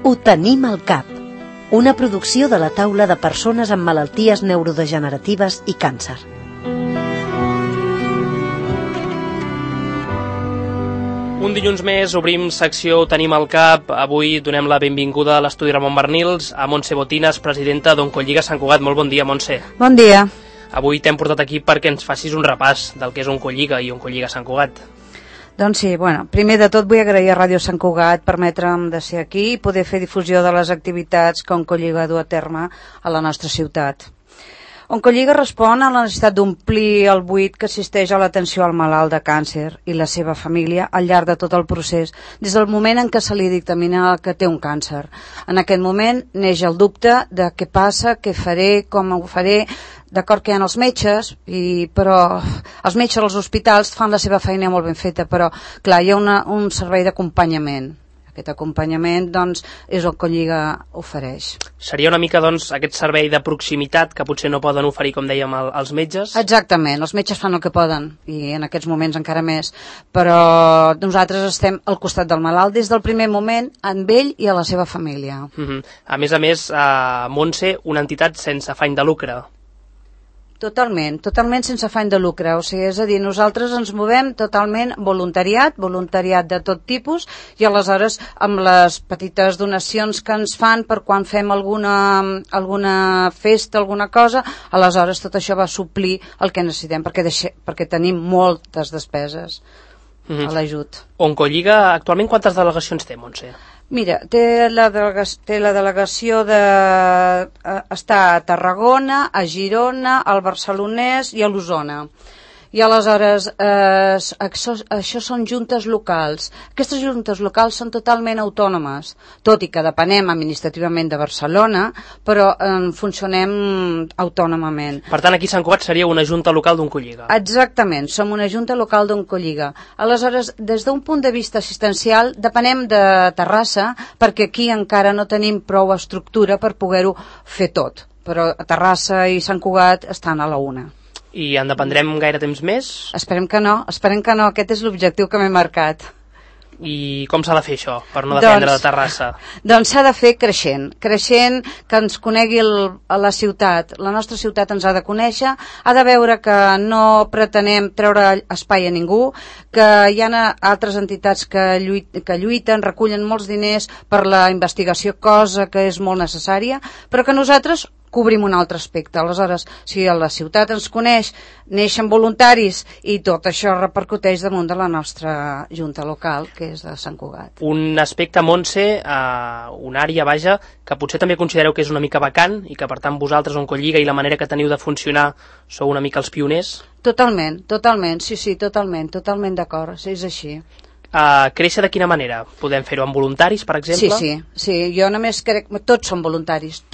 Ho tenim al cap. Una producció de la taula de persones amb malalties neurodegeneratives i càncer. Un dilluns més obrim secció Ho tenim al cap. Avui donem la benvinguda a l'estudi Ramon Barnils a Montse Botinas, presidenta d'Oncolliga Sant Cugat. Molt bon dia, Montse. Bon dia. Avui t'hem portat aquí perquè ens facis un repàs del que és Oncolliga i Oncolliga Sant Cugat. Doncs sí, primer de tot vull agrair a Ràdio Sant Cugat permetre'm de ser aquí i poder fer difusió de les activitats que Oncolliga du a terme a la nostra ciutat. Oncolliga respon a la necessitat d'omplir el buit que existeix a l'atenció al malalt de càncer i la seva família al llarg de tot el procés, des del moment en què se li dictamina que té un càncer. En aquest moment neix el dubte de què passa, què faré, com ho faré. D'acord que hi ha els metges, però els metges als hospitals fan la seva feina molt ben feta, però clar, hi ha un servei d'acompanyament. Aquest acompanyament, doncs, és el que Oncolliga ofereix. Seria una mica, doncs, aquest servei de proximitat que potser no poden oferir, com dèiem, els metges? Exactament, els metges fan el que poden, i en aquests moments encara més, però nosaltres estem al costat del malalt des del primer moment, amb ell i a la seva família. A més, Montse, una entitat sense afany de lucre. Totalment sense afany de lucre, o sigui, és a dir, nosaltres ens movem totalment voluntariat de tot tipus, i aleshores amb les petites donacions que ens fan per quan fem alguna festa, alguna cosa, aleshores tot això va suplir el que necessitem, perquè tenim moltes despeses a l'ajut. Oncolliga actualment quantes delegacions té, Montse? Mira, té la delegació està a Tarragona, a Girona, al Barcelonès i a l'Osona. I aleshores, això són juntes locals. Aquestes juntes locals són totalment autònomes, tot i que depenem administrativament de Barcelona, però funcionem autònomament. Per tant, aquí a Sant Cugat seria una junta local d'Oncolliga. Exactament, som una junta local d'Oncolliga. Aleshores, des d'un punt de vista assistencial, depenem de Terrassa, perquè aquí encara no tenim prou estructura per poder-ho fer tot. Però Terrassa i Sant Cugat estan a la una. I en dependrem gaire temps més? Esperem que no, aquest és l'objectiu que m'he marcat. I com s'ha de fer això, per no dependre de Terrassa? Doncs s'ha de fer creixent, que ens conegui la ciutat, la nostra ciutat ens ha de conèixer, ha de veure que no pretenem treure espai a ningú, que hi ha altres entitats que lluiten, recullen molts diners per la investigació, cosa que és molt necessària, però que nosaltres cobrim un altre aspecte. Aleshores, si la ciutat ens coneix, neixen voluntaris i tot això repercuteix damunt de la nostra junta local, que és de Sant Cugat. Un aspecte, Montse, una àrea, vaja, que potser també considereu que és una mica vacant i que per tant vosaltres, Oncolliga, i la manera que teniu de funcionar, sou una mica els pioners? Totalment, sí, totalment d'acord, és així. Créixer de quina manera? Podem fer-ho amb voluntaris, per exemple? Sí, jo només crec que tots són voluntaris,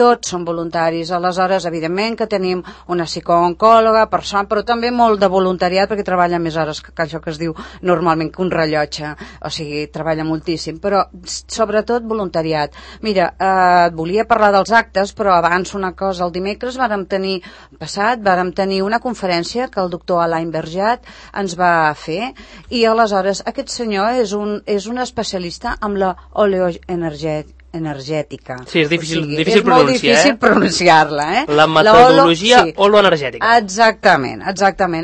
aleshores evidentment que tenim una psicooncòloga, però també molt de voluntariat, perquè treballa més hores que això que es diu normalment que un rellotge, o sigui, treballa moltíssim, però sobretot voluntariat. Mira, volia parlar dels actes, però abans una cosa, el dimecres vàrem tenir una conferència que el doctor Alain Berjat ens va fer, i aleshores aquest senyor és un especialista amb la oleoenergètica. Sí, és difícil és molt difícil pronunciar-la. La metodologia oloenergètica. Exactament.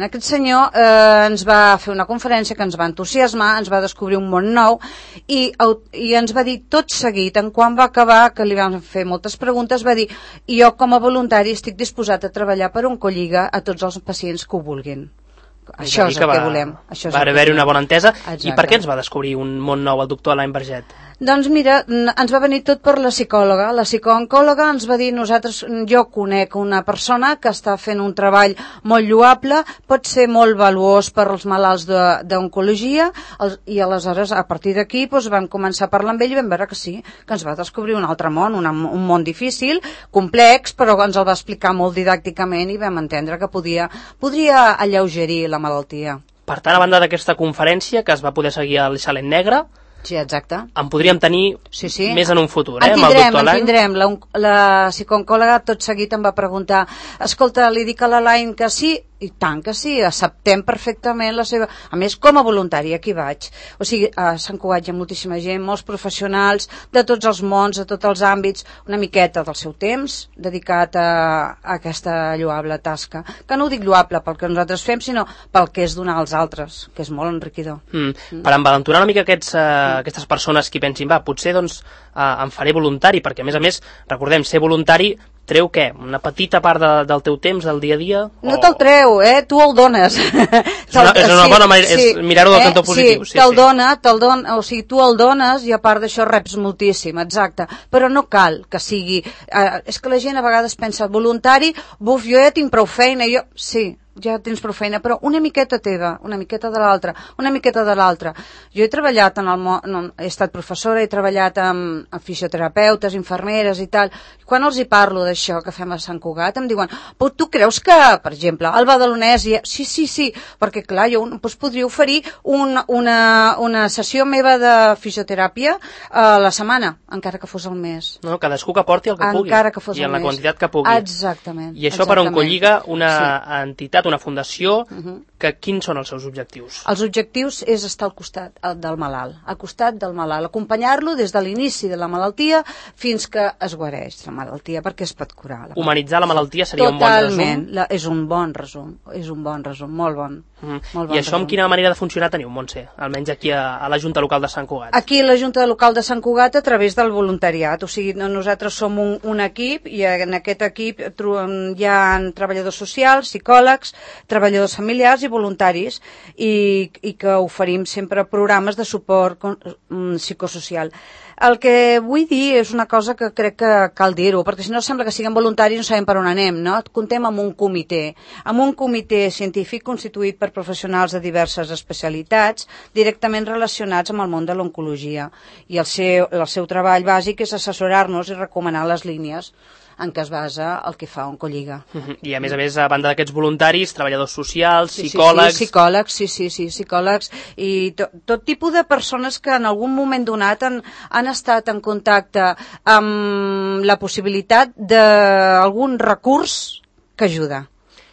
Aquest senyor ens va fer una conferència que ens va entusiasmar, ens va descobrir un món nou i ens va dir tot seguit, en quan va acabar, que li vam fer moltes preguntes, va dir, jo com a voluntari estic disposat a treballar per Oncolliga a tots els pacients que ho vulguin. Això és el que volem. Va haver-hi una bona entesa. Exacte. I per què ens va descobrir un món nou el doctor Alain Berjat? Doncs mira, ens va venir tot per la psicòloga. La psicooncòloga ens va dir, jo conec una persona que està fent un treball molt lloable, pot ser molt valuós per als malalts d'oncologia, i aleshores a partir d'aquí vam començar a parlar amb ell i vam veure que sí, que ens va descobrir un altre món, un món difícil, complex, però ens el va explicar molt didàcticament i vam entendre que podria alleugerir la malaltia. Per tant, a banda d'aquesta conferència que es va poder seguir al Xalet Negre, Sí, exacte. En podríem tenir més en un futur, amb el doctor Alain? En tindrem. La psicooncòloga tot seguit em va preguntar, escolta, li dic a l'Alain que sí, I tant que sí, acceptem perfectament la seva... A més, com a voluntari, aquí vaig. O sigui, a Sant Cugat hi ha moltíssima gent, molts professionals de tots els mons, de tots els àmbits, una miqueta del seu temps dedicat a aquesta lloable tasca. Que no ho dic lloable pel que nosaltres fem, sinó pel que és donar als altres, que és molt enriquidor. Per envalentonar una mica aquestes persones que pensin, potser doncs em faré voluntari, perquè a més, recordem, ser voluntari treu què? Una petita part del teu temps, del dia a dia? No te'l treu, tu el dones. És una bona manera, és mirar-ho del cantó positiu. Sí, te'l dona, o sigui, tu el dones i a part d'això reps moltíssim, exacte. Però no cal que sigui... és que la gent a vegades pensa, voluntari, buf, jo ja tinc prou feina, sí, ja tens prou feina, però una miqueta teva, una miqueta de l'altra, una miqueta de l'altra. Jo he treballat en el món, he estat professora, he treballat amb fisioterapeutes, infermeres i tal. Quan els hi parlo d'això que fem a Sant Cugat, em diuen, però tu creus que, per exemple, al Badalonès, sí, perquè clar, jo podria oferir una sessió meva de fisioteràpia a la setmana, encara que fos al mes. No, cadascú que porti el que pugui. Encara que fos i en la quantitat que pugui. Exactament. I això per Oncolliga, una entitat, una fundació, que quins són els seus objectius? Els objectius és estar al costat del malalt, acompanyar-lo des de l'inici de la malaltia fins que es guareix la malaltia, perquè es pot curar. Humanitzar la malaltia seria un bon resum? Totalment, és un bon resum, molt bon. I això amb quina manera de funcionar teniu, Montse? Almenys aquí a la Junta Local de Sant Cugat. Aquí a la Junta Local de Sant Cugat a través del voluntariat, o sigui, nosaltres som un equip i en aquest equip hi ha treballadors socials, psicòlegs, treballadors familiars i voluntaris i que oferim sempre programes de suport psicosocial. El que vull dir és una cosa que crec que cal dir-ho, perquè si no sembla que siguem voluntaris i no sabem per on anem, no? Contem amb un comitè científic constituït per professionals de diverses especialitats directament relacionats amb el món de l'oncologia. I el seu treball bàsic és assessorar-nos i recomanar les línies en què es basa el que fa Oncolliga. I a més, a banda d'aquests voluntaris, treballadors socials, psicòlegs... Psicòlegs i tot tipus de persones que en algun moment donat han estat en contacte amb la possibilitat d'algun recurs que ajuda.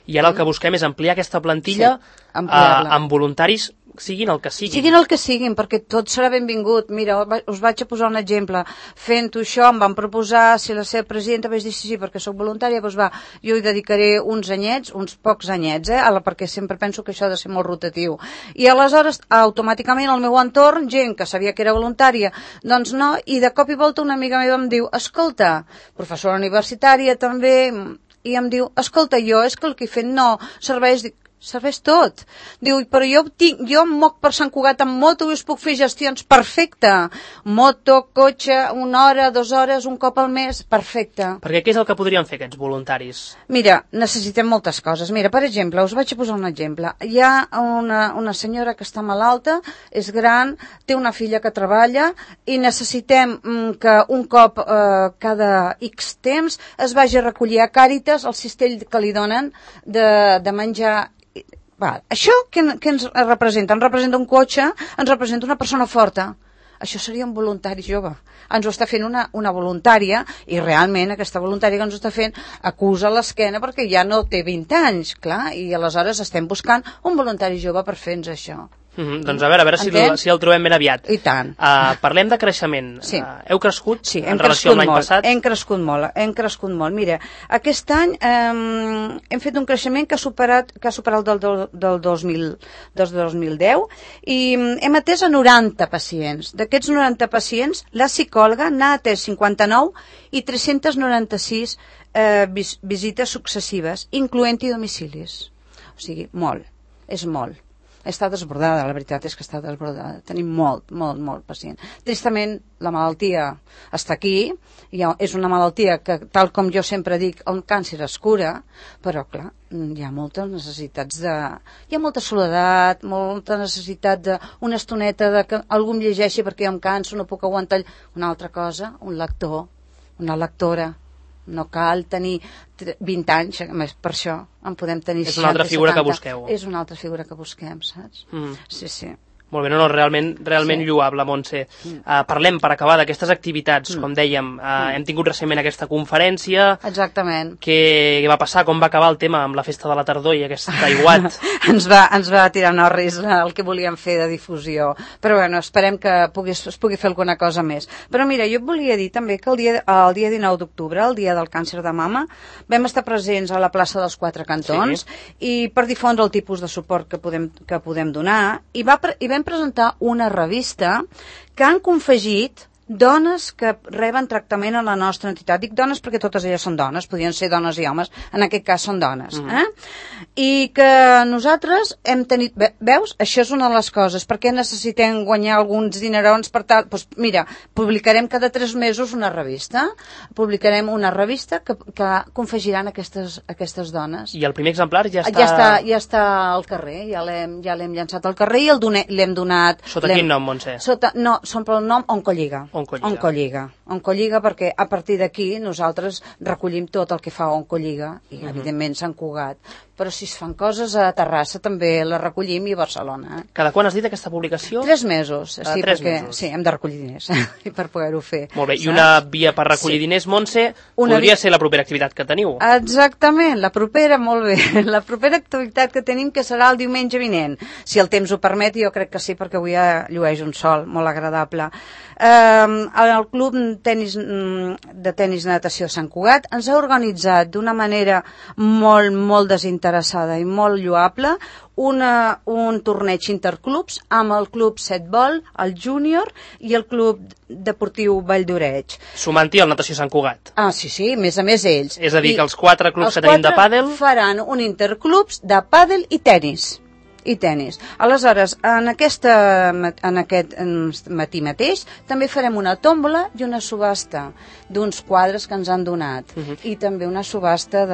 I ara el que busquem és ampliar aquesta plantilla amb voluntaris siguin el que siguin. Siguin el que siguin, perquè tot serà benvingut. Mira, us vaig a posar un exemple. Fent-ho això, em van proposar, si la seva presidenta vaig dir sí, perquè sóc voluntària, doncs jo hi dedicaré uns anyets, uns pocs anyets, perquè sempre penso que això ha de ser molt rotatiu. I aleshores, automàticament, al meu entorn, gent que sabia que era voluntària, doncs no, i de cop i volta una amiga meva em diu, escolta, professora universitària també, i em diu, escolta, jo és que el que he fet no serveix tot. Diu, però jo em moc per Sant Cugat amb moto i us puc fer gestions, perfecte. Moto, cotxe, 1 hora, 2 hores, un cop al mes, perfecte. Perquè què és el que podrien fer aquests voluntaris? Mira, necessitem moltes coses. Mira, per exemple, us vaig a posar un exemple. Hi ha una senyora que està malalta, és gran, té una filla que treballa i necessitem que un cop cada X temps es vagi a recollir a Càritas el cistell que li donen de menjar. Això què ens representa? Ens representa un cotxe, ens representa una persona forta. Això seria un voluntari jove. Ens ho està fent una voluntària i realment aquesta voluntària que ens ho està fent acusa l'esquena perquè ja no té 20 anys, clar, i aleshores estem buscant un voluntari jove per fer-nos això. Doncs a veure si el trobem ben aviat. I tant. Parlem de creixement. Sí. Heu crescut en relació amb l'any passat? Hem crescut molt. Mira, aquest any hem fet un creixement que ha superat del 2010 i hem atès a 90 pacients. D'aquests 90 pacients, la psicòloga n'ha atès 59 i 396 visites successives, incloent-hi domicilis. O sigui, molt. És molt. Està desbordada, la veritat és que està desbordada. Tenim molt pacient. Tristament, la malaltia està aquí, és una malaltia que, tal com jo sempre dic, el càncer es cura, però, clar, hi ha moltes necessitats hi ha molta soledat, molta necessitat d'una estoneta de que algú em llegeixi perquè jo em canso, no puc aguantar una altra cosa, un lector, una lectora. No cal tenir 20 anys, per això en podem tenir 60, 70. És una altra figura que busqueu. És una altra figura que busquem, saps? Sí. Molt bé, no, realment lloable, Montse. Parlem, per acabar, d'aquestes activitats, com dèiem, hem tingut recentment aquesta conferència. Exactament. Què va passar, com va acabar el tema amb la festa de la tardor i aquest aiguat? ens va tirar Norris el que volíem fer de difusió, però bueno, esperem que es pugui fer alguna cosa més. Però mira, jo et volia dir també que el dia 19 d'octubre, el dia del càncer de mama, vam estar presents a la plaça dels Quatre Cantons i per difondre el tipus de suport que podem donar i vam presentar una revista que han confegit dones que reben tractament a la nostra entitat. Dic dones perquè totes elles són dones, podien ser dones i homes, en aquest cas són dones. I que nosaltres hem tenit... Veus? Això és una de les coses. Per què necessitem guanyar alguns dinerons per tal? Doncs mira, publicarem cada 3 mesos una revista. Publicarem una revista que confegiran aquestes dones. I el primer exemplar ja està... Ja està al carrer, ja l'hem llançat al carrer i l'hem donat... Sota quin nom, Montse? No, són pel nom Oncolliga. Oncolliga, perquè a partir d'aquí nosaltres recollim tot el que fa Oncolliga i evidentment Sant Cugat, però si es fan coses a Terrassa també les recollim i a Barcelona. Cada quan has dit aquesta publicació? 3 mesos, sí, 3 mesos. Sí, hem de recollir diners per poder-ho fer. Molt bé, i una via per recollir diners, Montse, podria ser la propera activitat que teniu. Exactament, la propera, molt bé, la propera activitat que tenim que serà el diumenge vinent, si el temps ho permet, jo crec que sí, perquè avui llueix un sol molt agradable. El Club de Tenis de Natació Sant Cugat ens ha organitzat d'una manera molt desinteressada i molt lloable un torneig interclubs amb el Club Setbol, el Júnior i el Club Deportiu Vall d'Oreig. Sumant-hi el Natació Sant Cugat. Sí, a més ells. És a dir, que els 4 clubs que tenim de pàdel... faran un interclubs de pàdel i tenis. Aleshores, en aquest matí mateix també farem una tòmbola i una subhasta d'uns quadres que ens han donat i també una subhasta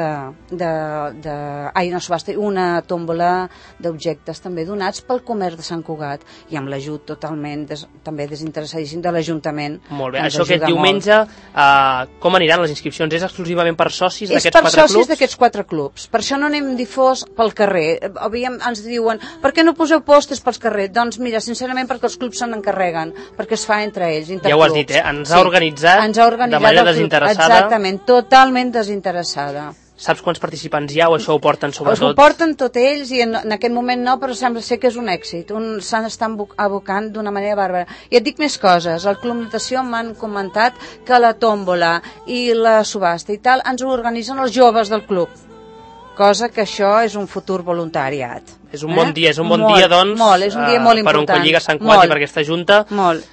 una tòmbola d'objectes també donats pel comerç de Sant Cugat i amb l'ajut totalment també desinteressadíssim de l'Ajuntament. Molt bé, això aquest diumenge com aniran les inscripcions? És exclusivament per socis d'aquests 4 clubs? És per socis d'aquests 4 clubs, per això no anem difós pel carrer. Ens diuen per què no poseu pòsters pels carrers? Doncs mira, sincerament perquè els clubs se n'encarreguen, perquè es fa entre ells, interclubs. Ja ho has dit, ens ha organitzat de manera desinteressada. Exactament, totalment desinteressada. Saps quants participants hi ha o això ho porten sobretot? Ho porten tot ells i en aquest moment no, però sembla ser que és un èxit. S'estan abocant d'una manera bàrbara. I et dic més coses. Al Club Natació m'han comentat que la tòmbola i la subhasta i tal ens ho organitzen els joves del club. Cosa que això és un futur voluntariat. És un bon dia, doncs, és un dia molt important. Per Oncolliga, Sant Cugat i per aquesta junta. Molt.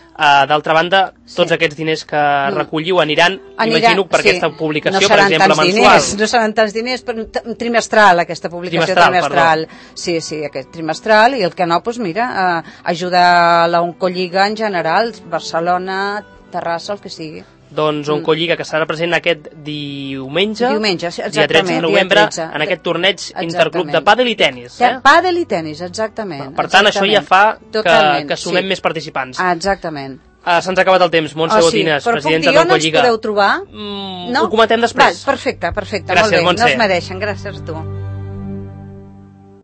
D'altra banda, tots aquests diners que recolliu aniran, imagino, per aquesta publicació, per exemple, mensual. No seran tants diners, però trimestral, aquesta publicació trimestral. Sí, aquest trimestral, i el que no, doncs mira, ajudar la Oncolliga en general, Barcelona, Terrassa, el que sigui. Doncs Oncolliga, que serà present aquest diumenge, dia 13 de novembre, en aquest torneig interclub de pàdel i tenis. Pàdel i tenis, exactament. Per tant, això ja fa que sumem més participants. Exactament. Se'ns ha acabat el temps. Montse Botines, presidenta d'Oncolliga. Però puc dir on ens podeu trobar? Ho comentem després. Perfecte. Gràcies, Montse. No es mereixen, gràcies a tu.